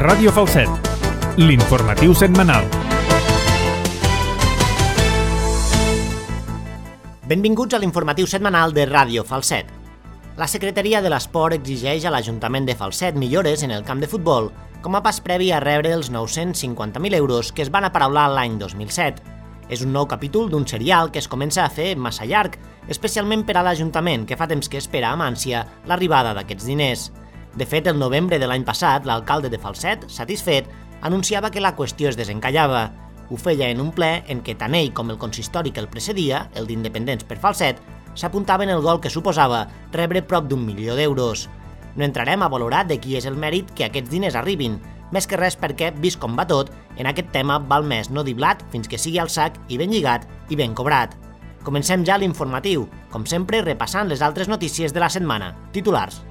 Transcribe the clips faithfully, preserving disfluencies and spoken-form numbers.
Ràdio Falset, l'informatiu setmanal. Benvinguts a l'informatiu setmanal de Ràdio Falset. La Secretaria de l'Esport exigeix a l'Ajuntament de Falset millores en el camp de futbol com a pas previ a rebre els nou-cents cinquanta mil euros que es van aparaular l'any dos mil set. És un nou capítol d'un serial que es comença a fer massa llarg, especialment per a l'Ajuntament, que fa temps que espera amb ànsia l'arribada d'aquests diners. De fet, el novembre de l'any passat, l'alcalde de Falset, satisfet, anunciava que la qüestió es desencallava. Ho feia en un ple en què tant ell com el consistori que el precedia, el d'Independents per Falset, s'apuntaven el gol que suposava rebre prop d'un milió d'euros. No entrarem a valorar de qui és el mèrit que aquests diners arribin, més que res perquè, vist com va tot, en aquest tema val més no dir blat fins que sigui al sac i ben lligat i ben cobrat. Comencem ja l'informatiu, com sempre repassant les altres notícies de la setmana. Titulars.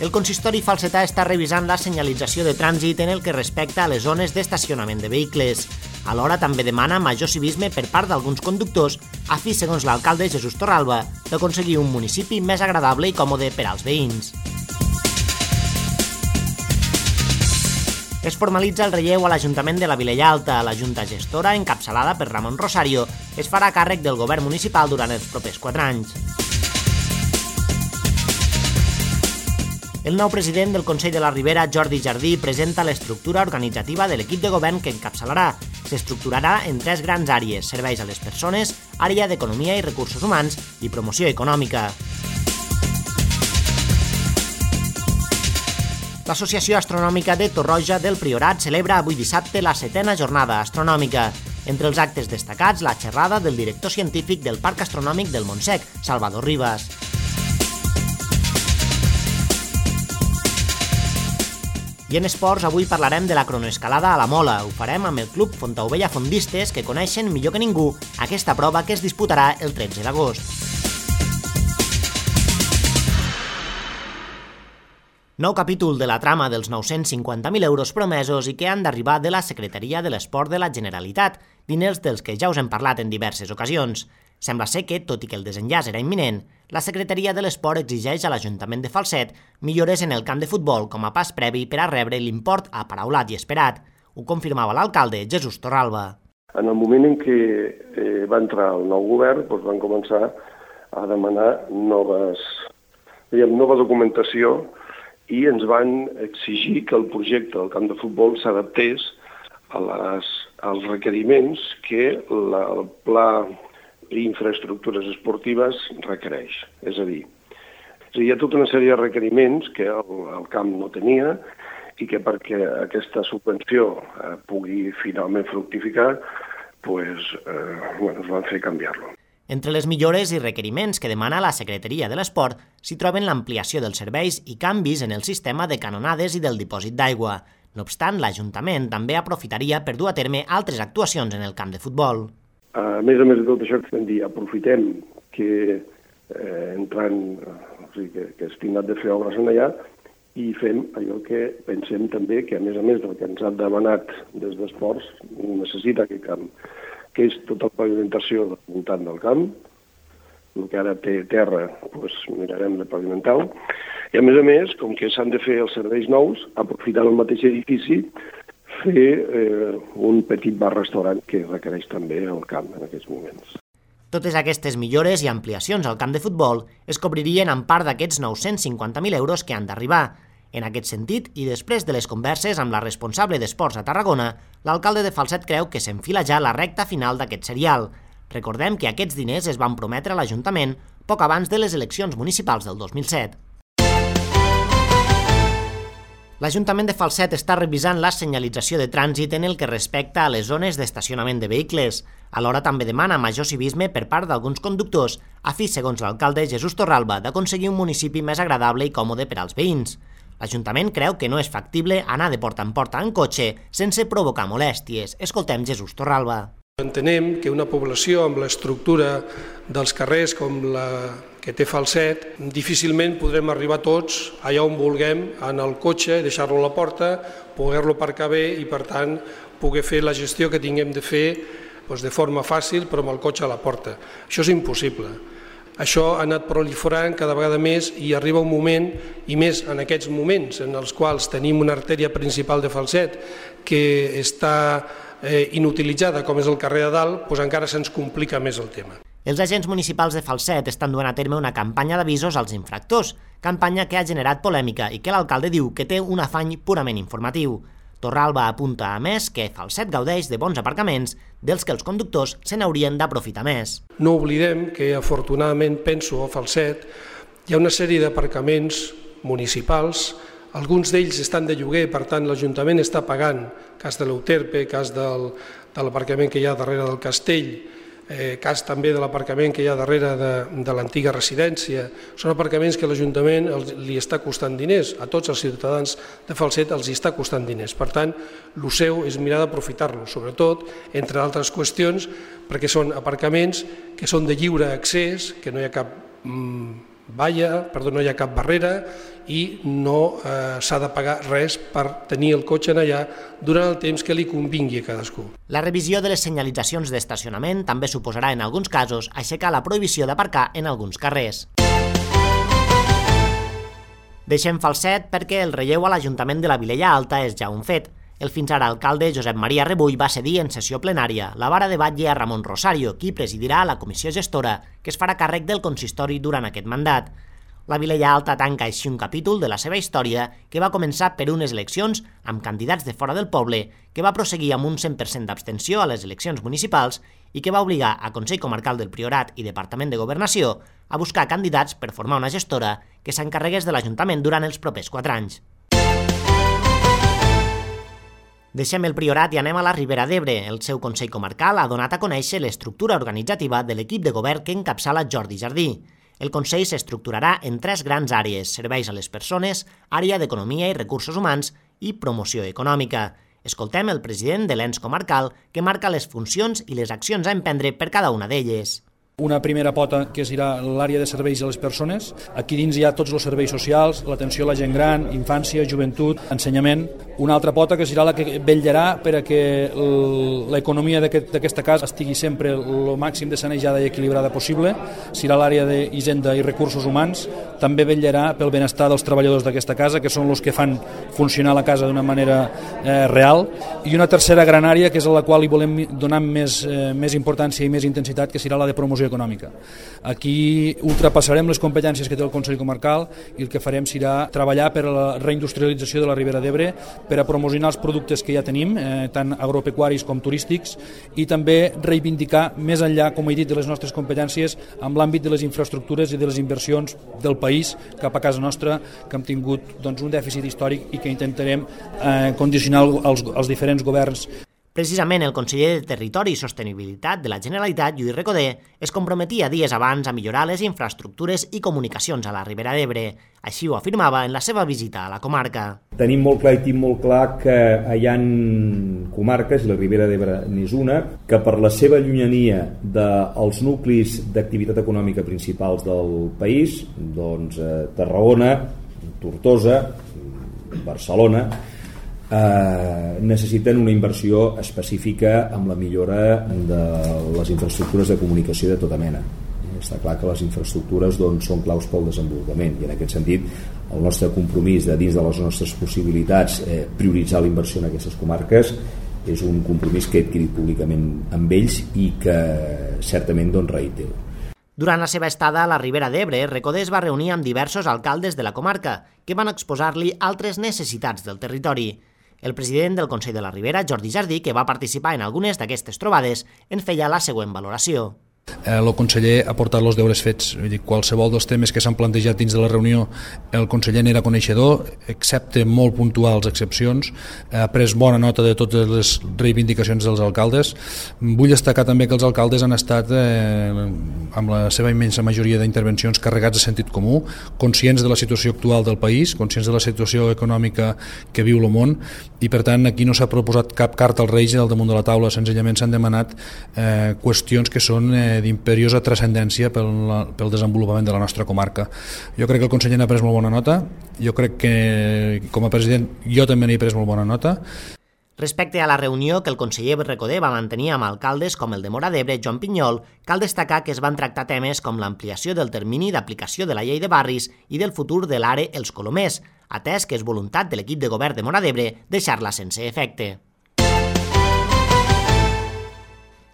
El consistori falsetà està revisant la senyalització de trànsit en el que respecta a les zones d'estacionament de vehicles. Alhora també demana major civisme per part d'alguns conductors a fi, segons l'alcalde Jesús Torralba, d'aconseguir un municipi més agradable i còmode per als veïns. Es formalitza el relleu a l'Ajuntament de la Vilella Alta. La Junta Gestora, encapçalada per Ramon Rosario, es farà càrrec del govern municipal durant els propers quatre anys. El nou president del Consell de la Ribera, Jordi Jardí, presenta l'estructura organitzativa de l'equip de govern que encapçalarà. S'estructurarà en tres grans àrees: serveis a les persones, àrea d'economia i recursos humans i promoció econòmica. L'Associació Astronòmica de Torroja del Priorat celebra avui dissabte la setena jornada astronòmica. Entre els actes destacats, la xerrada del director científic del Parc Astronòmic del Montsec, Salvador Ribas. I en esports, avui parlarem de la cronoescalada a la Mola. Ho farem amb el Club Fontaubella Fondistes, que coneixen millor que ningú aquesta prova que es disputarà el tretze d'agost. Nou capítol de la trama dels nou-cents cinquanta mil euros promesos i que han d'arribar de la Secretaria de l'Esport de la Generalitat, diners dels que ja us hem parlat en diverses ocasions. Sembla ser que, tot i que el desenllaç era imminent, la Secretaria de l'Esport exigeix a l'Ajuntament de Falset millores en el camp de futbol com a pas previ per a rebre l'import aparaulat i esperat. Ho confirmava l'alcalde Jesús Torralba. En el moment en què eh, va entrar el nou govern, doncs van començar a demanar noves, diguem, nova documentació i ens van exigir que el projecte del camp de futbol s'adaptés a les, als requeriments que la, el pla i infraestructures esportives requereix. És a dir, hi ha tota una sèrie de requeriments que el, el camp no tenia i que perquè aquesta subvenció eh, pugui finalment fructificar, pues, eh, bueno, es van fer canviar-lo. Entre les millores i requeriments que demana la Secretaria de l'Esport s'hi troben l'ampliació dels serveis i canvis en el sistema de canonades i del dipòsit d'aigua. No obstant, l'Ajuntament també aprofitaria per dur a terme altres actuacions en el camp de futbol. A més a més de tot això, que dir, aprofitem que eh, entrant, o sigui, que, que és tingut de fer obres en allà i fem allò que pensem també que, a més a més del que ens ha demanat des d'esports, necessita aquest camp, que és tota la pavimentació del voltant del camp, el que ara té terra, doncs mirarem de pavimentar-ho, i a més a més, com que s'han de fer els serveis nous, aprofitant el mateix edifici, fer eh, un petit bar-restaurant que requereix també el camp en aquests moments. Totes aquestes millores i ampliacions al camp de futbol es cobririen en part d'aquests nou-cents cinquanta mil euros que han d'arribar. En aquest sentit, i després de les converses amb la responsable d'Esports a Tarragona, l'alcalde de Falset creu que s'enfila ja la recta final d'aquest serial. Recordem que aquests diners es van prometre a l'Ajuntament poc abans de les eleccions municipals del dos mil set. L'Ajuntament de Falset està revisant la senyalització de trànsit en el que respecta a les zones d'estacionament de vehicles. Alhora també demana major civisme per part d'alguns conductors a fi, segons l'alcalde Jesús Torralba, d'aconseguir un municipi més agradable i còmode per als veïns. L'Ajuntament creu que no és factible anar de porta en porta en cotxe sense provocar molèsties. Escoltem Jesús Torralba. Entenem que una població amb l'estructura dels carrers com la que té Falset, difícilment podrem arribar tots allà on vulguem en el cotxe, deixar-lo a la porta, poder-lo aparcar bé i, per tant, poder fer la gestió que tinguem de fer doncs de forma fàcil però amb el cotxe a la porta. Això és impossible. Això ha anat proliferant cada vegada més i arriba un moment, i més en aquests moments en els quals tenim una artèria principal de Falset que està eh, inutilitzada, com és el carrer de Dalt, doncs encara se'ns complica més el tema. Els agents municipals de Falset estan duent a terme una campanya d'avisos als infractors, campanya que ha generat polèmica i que l'alcalde diu que té un afany purament informatiu. Torralba apunta, a més, que Falset gaudeix de bons aparcaments dels que els conductors se n'haurien d'aprofitar més. No oblidem que, afortunadament, penso a Falset, hi ha una sèrie d'aparcaments municipals, alguns d'ells estan de lloguer, per tant l'Ajuntament està pagant, cas de l'Euterpe, cas del, de l'aparcament que hi ha darrere del castell, eh, cas també de l'aparcament que hi ha darrere de, de l'antiga residència. Són aparcaments que l'Ajuntament li està costant diners, a tots els ciutadans de Falset els hi està costant diners. Per tant, el seu és mirar d'aprofitar-los, sobretot, entre altres qüestions, perquè són aparcaments que són de lliure accés, que no hi ha cap mmm, valla, perdó, no hi ha cap barrera i no eh, s'ha de pagar res per tenir el cotxe en allà durant el temps que li convingui a cadascú. La revisió de les senyalitzacions d'estacionament també suposarà en alguns casos aixecar la prohibició d'aparcar en alguns carrers. Deixem Falset perquè el relleu a l'Ajuntament de la Vilella Alta és ja un fet. El fins ara alcalde Josep Maria Rebull va cedir en sessió plenària la vara de batlle a Ramon Rosario, qui presidirà la comissió gestora que es farà càrrec del consistori durant aquest mandat. La Vilella Alta tanca així un capítol de la seva història que va començar per unes eleccions amb candidats de fora del poble, que va prosseguir amb un cent per cent d'abstenció a les eleccions municipals i que va obligar a Consell Comarcal del Priorat i Departament de Governació a buscar candidats per formar una gestora que s'encarregués de l'Ajuntament durant els propers quatre anys. Deixem el Priorat i anem a la Ribera d'Ebre. El seu Consell Comarcal ha donat a conèixer l'estructura organitzativa de l'equip de govern que encapçala Jordi Jardí. El Consell s'estructurarà en tres grans àrees: serveis a les persones, àrea d'economia i recursos humans i promoció econòmica. Escoltem el president de l'ens comarcal que marca les funcions i les accions a emprendre per cada una d'elles. Una primera pota que serà l'àrea de serveis a les persones. Aquí dins hi ha tots els serveis socials, l'atenció a la gent gran, infància, joventut, ensenyament. Una altra pota que serà la que vetllarà per a que l'economia d'aquesta casa estigui sempre el màxim de sanejada i equilibrada possible. Serà l'àrea d'Hisenda i Recursos Humans. També vetllarà pel benestar dels treballadors d'aquesta casa, que són els que fan funcionar la casa d'una manera eh, real. I una tercera gran àrea, que és a la qual hi volem donar més, eh, més importància i més intensitat, que serà la de promoció econòmica. Aquí ultrapassarem les competències que té el Consell Comarcal i el que farem serà treballar per a la reindustrialització de la Ribera d'Ebre, per a promocionar els productes que ja tenim, eh, tant agropecuaris com turístics, i també reivindicar més enllà, com he dit, de les nostres competències amb l'àmbit de les infraestructures i de les inversions del país cap a casa nostra, que hem tingut doncs, un dèficit històric i que intentarem eh, condicionar els, els diferents governs. Precisament el conseller de Territori i Sostenibilitat de la Generalitat, Lluís Recoder, es comprometia dies abans a millorar les infraestructures i comunicacions a la Ribera d'Ebre. Així ho afirmava en la seva visita a la comarca. Tenim molt clar i tinc molt clar que hi ha comarques, i la Ribera d'Ebre n'és una, que per la seva llunyania dels nuclis d'activitat econòmica principals del país, doncs eh, Tarragona, Tortosa, Barcelona, Eh, necessiten una inversió específica amb la millora de les infraestructures de comunicació de tota mena. Està clar que les infraestructures doncs, són claus pel desenvolupament, i en aquest sentit el nostre compromís de dins de les nostres possibilitats eh, prioritzar la inversió en aquestes comarques és un compromís que he adquirit públicament amb ells i que certament doncs, reitero. Durant la seva estada a la Ribera d'Ebre, Recoder es va reunir amb diversos alcaldes de la comarca que van exposar-li altres necessitats del territori. El president del Consell de la Ribera, Jordi Jardí, que va participar en algunes d'aquestes trobades, en feia la següent valoració. El conseller ha portat els deures fets. Vull dir, qualsevol dels temes que s'han plantejat dins de la reunió, el conseller n'era coneixedor, excepte molt puntuals excepcions, ha pres bona nota de totes les reivindicacions dels alcaldes. Vull destacar també que els alcaldes han estat, eh, amb la seva immensa majoria d'intervencions, carregats de sentit comú, conscients de la situació actual del país, conscients de la situació econòmica que viu el món, i per tant aquí no s'ha proposat cap carta als Reis al damunt de la taula, senzillament s'han demanat eh, qüestions que són eh, d'imperiosa transcendència pel, pel desenvolupament de la nostra comarca. Jo crec que el conseller n'ha pres molt bona nota, jo crec que com a president jo també n'he pres molt bona nota. Respecte a la reunió que el conseller Recoder va mantenir amb alcaldes com el de Móra d'Ebre, Joan Pinyol, cal destacar que es van tractar temes com l'ampliació del termini d'aplicació de la llei de barris i del futur de l'Are Els Colomers, atès que és voluntat de l'equip de govern de Móra d'Ebre deixar-la sense efecte.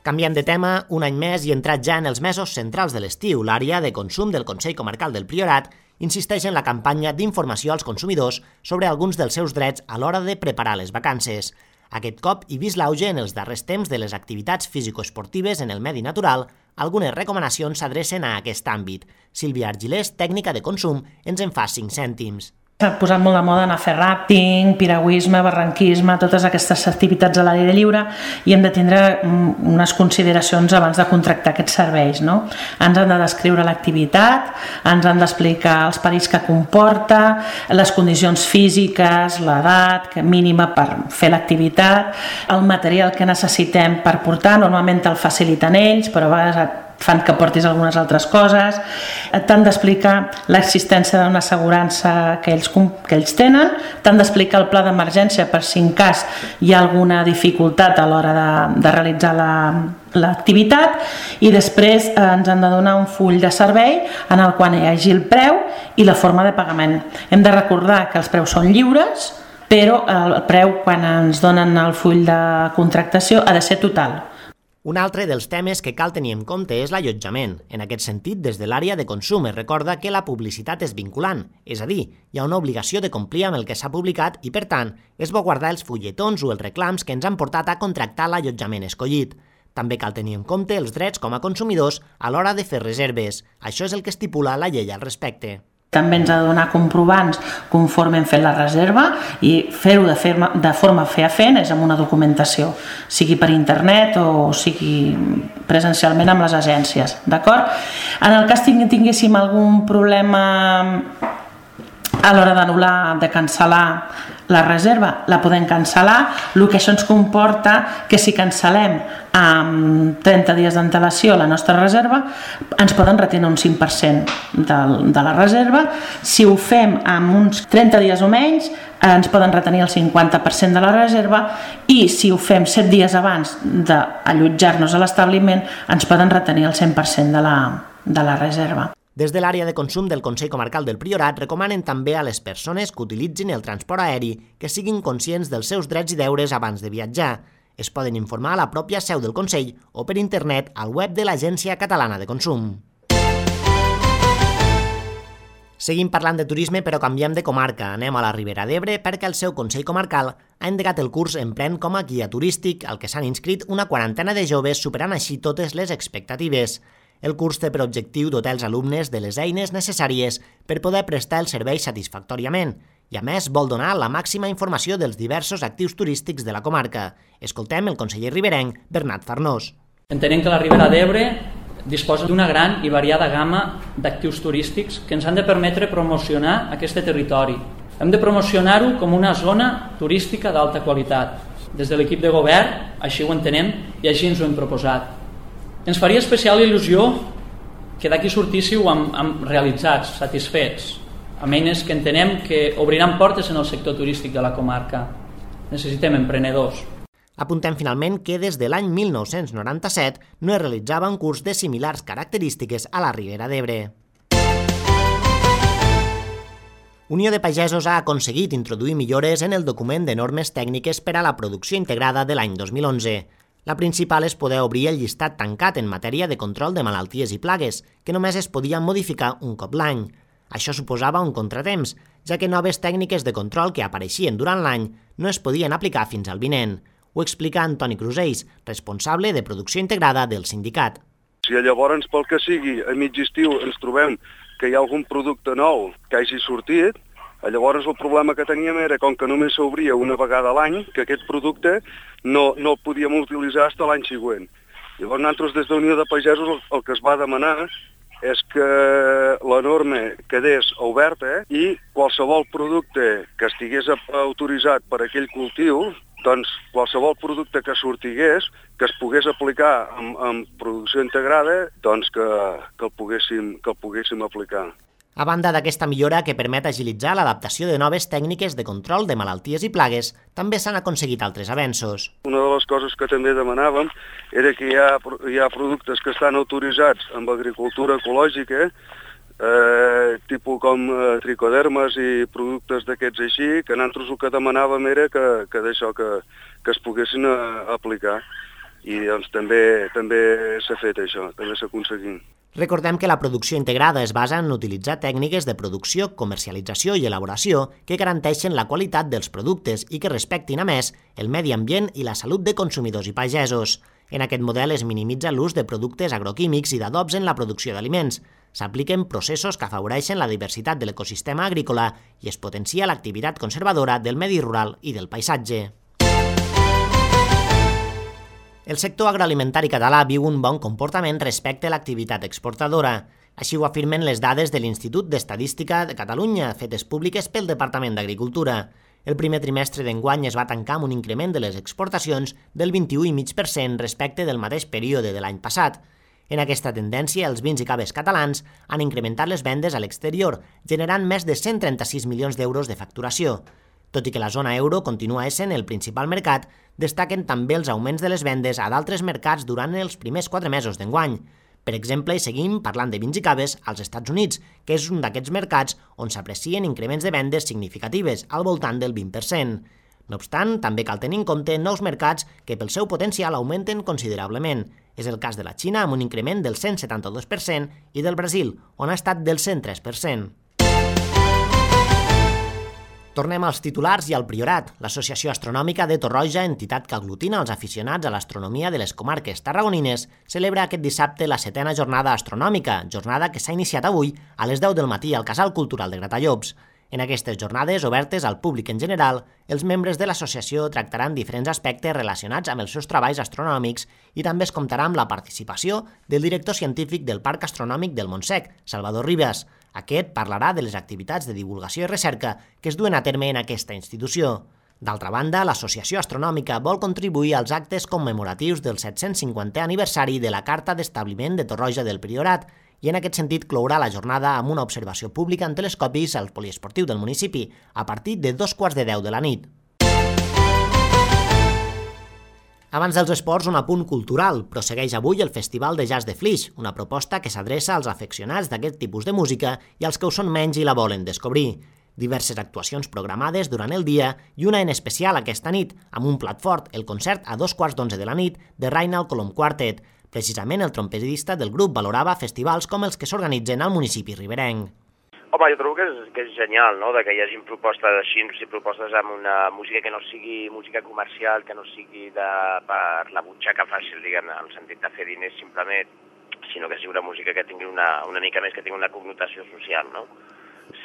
Canviant de tema, un any més i entrat ja en els mesos centrals de l'estiu, l'àrea de consum del Consell Comarcal del Priorat insisteix en la campanya d'informació als consumidors sobre alguns dels seus drets a l'hora de preparar les vacances. Aquest cop, i vist l'auge en els darrers temps de les activitats físico-esportives en el medi natural, algunes recomanacions s'adrecen a aquest àmbit. Sílvia Argilés, tècnica de consum, ens en fa cinc cèntims. S'ha posat molt de moda anar a fer ràfting, piragüisme, barranquisme, totes aquestes activitats a l'aire lliure i hem de tindre unes consideracions abans de contractar aquests serveis. No? Ens han de descriure l'activitat, ens han d'explicar els perills que comporta, les condicions físiques, l'edat mínima per fer l'activitat, el material que necessitem per portar, normalment el faciliten ells, però a vegades fan que portis algunes altres coses, t'han d'explicar l'existència d'una assegurança que ells, que ells tenen, t'han d'explicar el pla d'emergència per si en cas hi ha alguna dificultat a l'hora de, de realitzar la, l'activitat i després eh, ens han de donar un full de servei en el qual hi hagi el preu i la forma de pagament. Hem de recordar que els preus són lliures, però el preu quan ens donen el full de contractació ha de ser total. Un altre dels temes que cal tenir en compte és l'allotjament. En aquest sentit, des de l'àrea de consum es recorda que la publicitat és vinculant, és a dir, hi ha una obligació de complir amb el que s'ha publicat i, per tant, és bo guardar els fulletons o els reclams que ens han portat a contractar l'allotjament escollit. També cal tenir en compte els drets com a consumidors a l'hora de fer reserves. Això és el que estipula la llei al respecte. També ens ha de donar comprovants conforme hem fet la reserva i fer-ho de, ferma, de forma fefaent és amb una documentació, sigui per internet o sigui presencialment amb les agències. D'acord? En el cas que tinguéssim algun problema a l'hora d'anul·lar, de cancel·lar la reserva, la podem cancel·lar, el que això ens comporta que si cancel·lem amb trenta dies d'antelació la nostra reserva, ens poden retenir un cinc per cent de, de la reserva. Si ho fem amb uns trenta dies o menys, ens poden retenir el cinquanta per cent de la reserva i si ho fem set dies abans d'allotjar-nos a l'establiment, ens poden retenir el cent per cent de la, de la reserva. Des de l'àrea de consum del Consell Comarcal del Priorat recomanen també a les persones que utilitzin el transport aeri que siguin conscients dels seus drets i deures abans de viatjar. Es poden informar a la pròpia seu del Consell o per internet al web de l'Agència Catalana de Consum. Seguim parlant de turisme però canviem de comarca. Anem a la Ribera d'Ebre perquè el seu Consell Comarcal ha endegat el curs Emprèn com a guia turístic al que s'han inscrit una quarantena de joves superant així totes les expectatives. El curs té per objectiu dotar els alumnes de les eines necessàries per poder prestar el servei satisfactòriament i, a més, vol donar la màxima informació dels diversos actius turístics de la comarca. Escoltem el conseller riberenc, Bernat Farnós. Entenem que la Ribera d'Ebre disposa d'una gran i variada gamma d'actius turístics que ens han de permetre promocionar aquest territori. Hem de promocionar-ho com una zona turística d'alta qualitat. Des de l'equip de govern, així ho entenem i així ens ho hem proposat. Ens faria especial il·lusió que d'aquí sortíssiu amb, amb realitzats, satisfets, amb eines que entenem que obriran portes en el sector turístic de la comarca. Necessitem emprenedors. Apuntem finalment que des de l'any mil nou-cents noranta-set no es realitzava un curs de similars característiques a la Ribera d'Ebre. Unió de Pagesos ha aconseguit introduir millores en el document de normes tècniques per a la producció integrada de l'any dos mil onze. La principal és poder obrir el llistat tancat en matèria de control de malalties i plagues, que només es podien modificar un cop l'any. Això suposava un contratemps, ja que noves tècniques de control que apareixien durant l'any no es podien aplicar fins al vinent. Ho explica Antoni Crusells, responsable de producció integrada del sindicat. Si llavors, pel que sigui, a mig estiu ens trobem que hi ha algun producte nou que hagi sortit, llavors el problema que teníem era, com que només s'obria una vegada a l'any, que aquest producte no, no el podíem utilitzar fins l'any següent. Llavors nosaltres des de Unió de Pagesos el, el que es va demanar és que la norma quedés oberta i qualsevol producte que estigués autoritzat per aquell cultiu, doncs qualsevol producte que sortigués, que es pogués aplicar en, en producció integrada, doncs que, que, el poguéssim, que el poguéssim aplicar. A banda d'aquesta millora que permet agilitzar l'adaptació de noves tècniques de control de malalties i plagues, també s'han aconseguit altres avenços. Una de les coses que també demanàvem era que hi ha, hi ha productes que estan autoritzats amb agricultura ecològica, eh, tipus com eh, tricodermes i productes d'aquests així, que nosaltres el que demanàvem era que, que d'això que, que es poguessin a, aplicar. I doncs també també s'ha fet això, també s'ha aconseguit. Recordem que la producció integrada es basa en utilitzar tècniques de producció, comercialització i elaboració que garanteixen la qualitat dels productes i que respectin, a més, el medi ambient i la salut de consumidors i pagesos. En aquest model es minimitza l'ús de productes agroquímics i d'adobs en la producció d'aliments. S'apliquen processos que afavoreixen la diversitat de l'ecosistema agrícola i es potencia l'activitat conservadora del medi rural i del paisatge. El sector agroalimentari català viu un bon comportament respecte a l'activitat exportadora. Així ho afirmen les dades de l'Institut d'Estadística de Catalunya, fetes públiques pel Departament d'Agricultura. El primer trimestre d'enguany es va tancar amb un increment de les exportacions del vint-i-u coma cinc per cent respecte del mateix període de l'any passat. En aquesta tendència, els vins i caves catalans han incrementat les vendes a l'exterior, generant més de cent trenta-sis milions d'euros de facturació. Tot i que la zona euro continua essent el principal mercat, destaquen també els augments de les vendes a d'altres mercats durant els primers quatre mesos d'enguany. Per exemple, seguim parlant de vins i caves als Estats Units, que és un d'aquests mercats on s'aprecien increments de vendes significatives, al voltant del vint per cent. No obstant, també cal tenir en compte nous mercats que pel seu potencial augmenten considerablement. És el cas de la Xina, amb un increment del cent setanta-dos per cent, i del Brasil, on ha estat del cent tres per cent. Tornem als titulars i al Priorat. L'Associació Astronòmica de Torroja, entitat que aglutina els aficionats a l'astronomia de les comarques tarragonines, celebra aquest dissabte la setena jornada astronòmica, jornada que s'ha iniciat avui a les deu del matí al Casal Cultural de Gratallops. En aquestes jornades, obertes al públic en general, els membres de l'associació tractaran diferents aspectes relacionats amb els seus treballs astronòmics i també es comptarà amb la participació del director científic del Parc Astronòmic del Montsec, Salvador Ribas. Aquest parlarà de les activitats de divulgació i recerca que es duen a terme en aquesta institució. D'altra banda, l'Associació Astronòmica vol contribuir als actes commemoratius del set-cents cinquantè aniversari de la Carta d'Establiment de Torroja del Priorat i en aquest sentit clourà la jornada amb una observació pública en telescopis al poliesportiu del municipi a partir de dos quarts de deu de la nit. Abans dels esports, un apunt cultural. Prossegueix avui el Festival de Jazz de Flix, una proposta que s'adreça als afeccionats d'aquest tipus de música i als que ho són menys i la volen descobrir. Diverses actuacions programades durant el dia i una en especial aquesta nit, amb un plat fort, el concert a dos quarts d'onze de la nit de Reinald Colom Quartet. Precisament el trompetista del grup valorava festivals com els que s'organitzen al municipi riberenc. Home, jo trobo que és, que és genial, no?, de que hi hagi propostes així, i propostes amb una música que no sigui música comercial, que no sigui de, per la butxaca fàcil, diguem, en el sentit de fer diners simplement, sinó que sigui una música que tingui una, una mica més, que tingui una connotació social, no?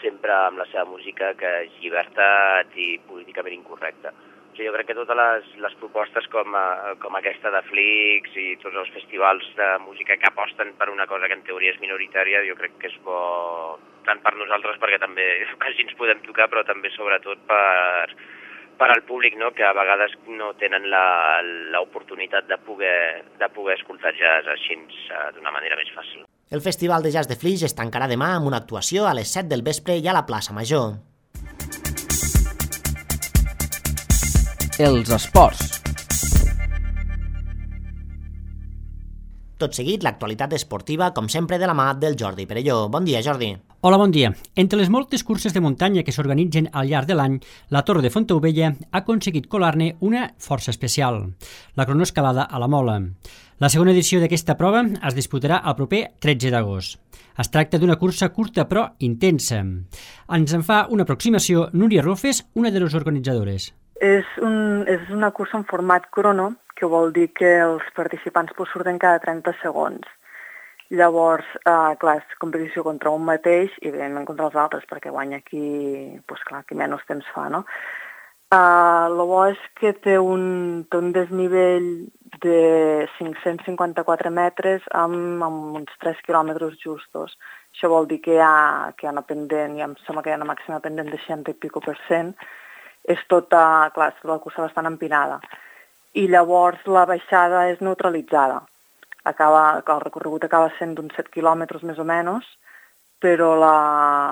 Sempre amb la seva música que és llibertat i políticament incorrecta. O sigui, jo crec que totes les, les propostes com, a, com aquesta de Flix i tots els festivals de música que aposten per una cosa que en teoria és minoritària, jo crec que és bo tant per nosaltres, perquè també quasi ens podem tocar, però també sobretot per, per al públic, no?, que a vegades no tenen l'oportunitat de poder, de poder escoltar jazz així d'una manera més fàcil. El Festival de Jazz de Flix es tancarà demà amb una actuació a les set del vespre i a la plaça Major. Els esports. Tot seguit, l'actualitat esportiva, com sempre, de la mà del Jordi Perelló. Bon dia, Jordi. Hola, bon dia. Entre les moltes curses de muntanya que s'organitzen al llarg de l'any, la Torre de Fontaubella ha aconseguit colar-ne una força especial, la cronoescalada a la Mola. La segona edició d'aquesta prova es disputarà el proper tretze d'agost. Es tracta d'una cursa curta però intensa. Ens en fa una aproximació Núria Rofes, una de les organitzadores. És, un, és una cursa en format crono, que vol dir que els participants pues, surten cada trenta segons. Llavors, eh, clar, és competició contra un mateix i evidentment contra els altres, perquè guanya qui, pues, clar, qui menys temps fa, no? Uh, el bo és que té un, té un desnivell de cinc-cents cinquanta-quatre metres amb, amb uns tres quilòmetres justos. Això vol dir que hi ha, que hi ha una pendent, ja em sembla que hi ha una màxima pendent de seixanta i pico per cent. És tota, clar, és la cursa bastant empinada. I llavors la baixada és neutralitzada. Acaba, el recorregut acaba sent d'uns set quilòmetres més o menys, però la,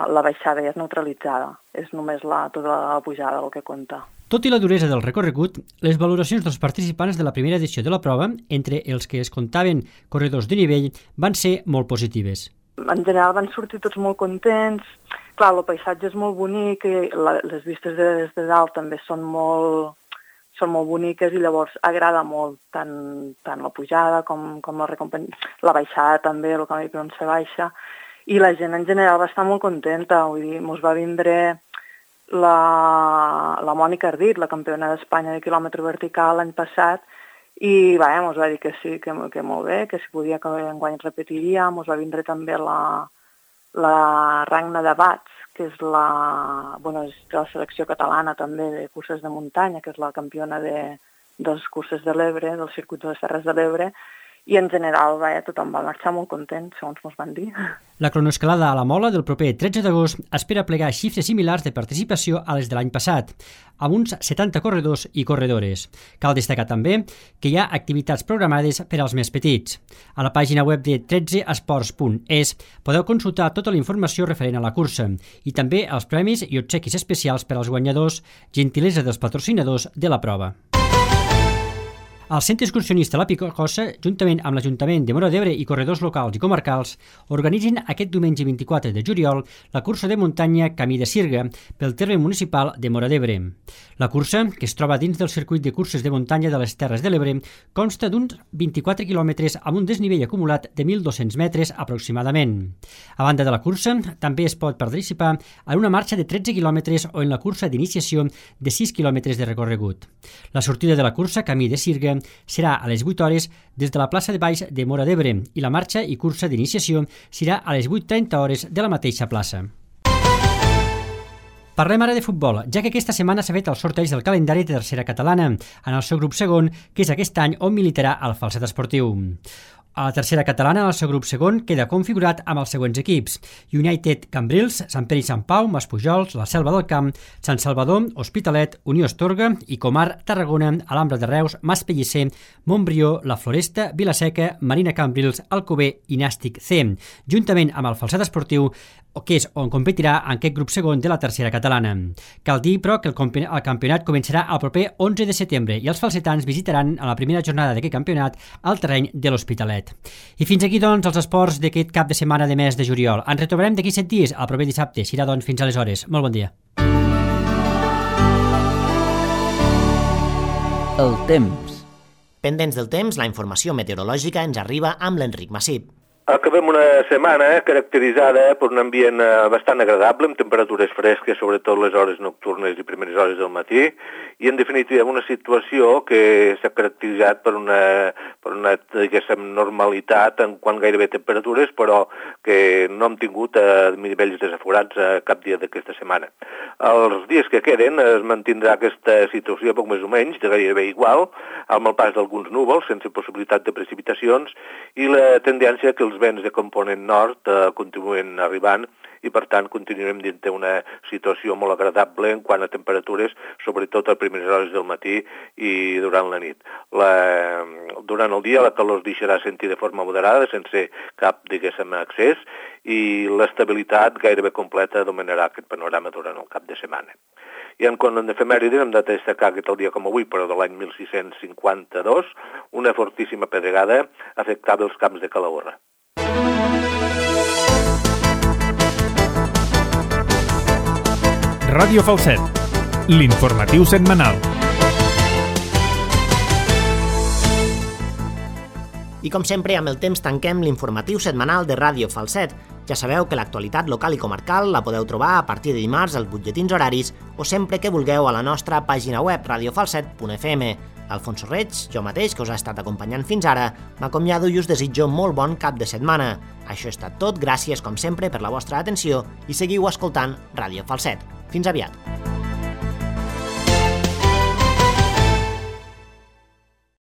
la baixada ja és neutralitzada. És només la, tota la pujada el que compta. Tot i la duresa del recorregut, les valoracions dels participants de la primera edició de la prova, entre els que es comptaven corredors de nivell, van ser molt positives. En general van sortir tots molt contents. Clar, el paisatge és molt bonic i la, les vistes de, des de dalt també són molt, són molt boniques i llavors agrada molt tant, tant la pujada com, com la, la baixada també, el camí per on se baixa. I la gent en general va estar molt contenta, vull dir, mos va vindre la, la Mònica Ardit, la campiona d'Espanya de quilòmetre vertical l'any passat, i va, mos va dir que sí, que, que molt bé, que si podia que enguany repetiria. Mos va vindre també la, la Ragna de Bats, que és la, bueno, és de la selecció catalana també de curses de muntanya, que és la campiona de, dels curses de l'Ebre, del circuit de les Terres de l'Ebre, i en general va, tothom va marxar molt content, segons mos van dir. La cronoescalada a la Mola del proper tretze d'agost espera plegar xifres similars de participació a les de l'any passat, amb uns setanta corredors i corredores. Cal destacar també que hi ha activitats programades per als més petits. A la pàgina web de tretze esports punt es podeu consultar tota la informació referent a la cursa i també els premis i obsequis especials per als guanyadors, gentilesa dels patrocinadors de la prova. El Centre Excursionista La Picosa, juntament amb l'Ajuntament de Móra d'Ebre i corredors locals i comarcals, organitzen aquest diumenge vint-i-quatre de juliol la cursa de muntanya Camí de Sirga pel terme municipal de Móra d'Ebre. La cursa, que es troba dins del circuit de curses de muntanya de les Terres de l'Ebre, consta d'uns vint-i-quatre quilòmetres amb un desnivell acumulat de mil dos-cents metres aproximadament. A banda de la cursa, també es pot participar en una marxa de tretze quilòmetres o en la cursa d'iniciació de sis quilòmetres de recorregut. La sortida de la cursa Camí de Sirga serà a les vuit hores des de la plaça de Baix de Móra d'Ebre i la marxa i cursa d'iniciació serà a les vuit trenta hores de la mateixa plaça. Parlem ara de futbol, ja que aquesta setmana s'ha fet el sorteig del calendari de tercera catalana, en el seu grup segon, que és aquest any on militarà el Falset Esportiu. A la tercera catalana, el seu grup segon queda configurat amb els següents equips: United Cambrils, Sant Pere i Sant Pau, Maspujols, la Selva del Camp, Sant Salvador, Hospitalet, Unió Astorga i Comar, Tarragona, Alhambra de Reus, Mas Pellicer, Montbrió, La Floresta, Vilaseca, Marina Cambrils, Alcover i Nàstic C, juntament amb el Falset Esportiu, que és on competirà en aquest grup segon de la tercera catalana. Cal dir, però, que el campionat començarà el proper onze de setembre i els falsetans visitaran a la primera jornada d'aquest campionat el terreny de l'Hospitalet. I fins aquí, doncs, els esports d'aquest cap de setmana de mes de juliol. Ens retrobarem d'aquí set dies, el proper dissabte. Serà, doncs, fins aleshores. Molt bon dia. El temps. Pendents del temps, la informació meteorològica ens arriba amb l'Enric Massip. Acabem una setmana caracteritzada per un ambient bastant agradable, amb temperatures fresques, sobretot les hores nocturnes i primeres hores del matí, i en definitiva una situació que s'ha caracteritzat per una, per una diguéssim, normalitat en quant gairebé temperatures, però que no hem tingut a nivells desaforats a cap dia d'aquesta setmana. Els dies que queden es mantindrà aquesta situació poc més o menys, de gairebé igual, amb el pas d'alguns núvols, sense possibilitat de precipitacions, i la tendència que els vents de component nord eh, continuen arribant i, per tant, continuarem dins d'una situació molt agradable en quant a temperatures, sobretot a primeres hores del matí i durant la nit. La, durant el dia la calor es deixarà sentir de forma moderada, sense cap, diguéssim, excés, i l'estabilitat gairebé completa dominarà aquest panorama durant el cap de setmana. I en quant a efemèrides hem de destacar que el dia com avui, però de l'any mil sis-cents cinquanta-dos, una fortíssima pedregada afectava els camps de Calahorra. Ràdio Falset, l'informatiu setmanal. I com sempre, amb el temps tanquem l'informatiu setmanal de Ràdio Falset. Ja sabeu que l'actualitat local i comarcal la podeu trobar a partir de dimarts als butlletins horaris o sempre que vulgueu a la nostra pàgina web radio falset punt f m. Alfonso Reig, jo mateix, que us ha estat acompanyant fins ara, m'acomiado i us desitjo molt bon cap de setmana. Això ha estat tot, gràcies com sempre per la vostra atenció i seguiu escoltant Ràdio Falset. Fins aviat.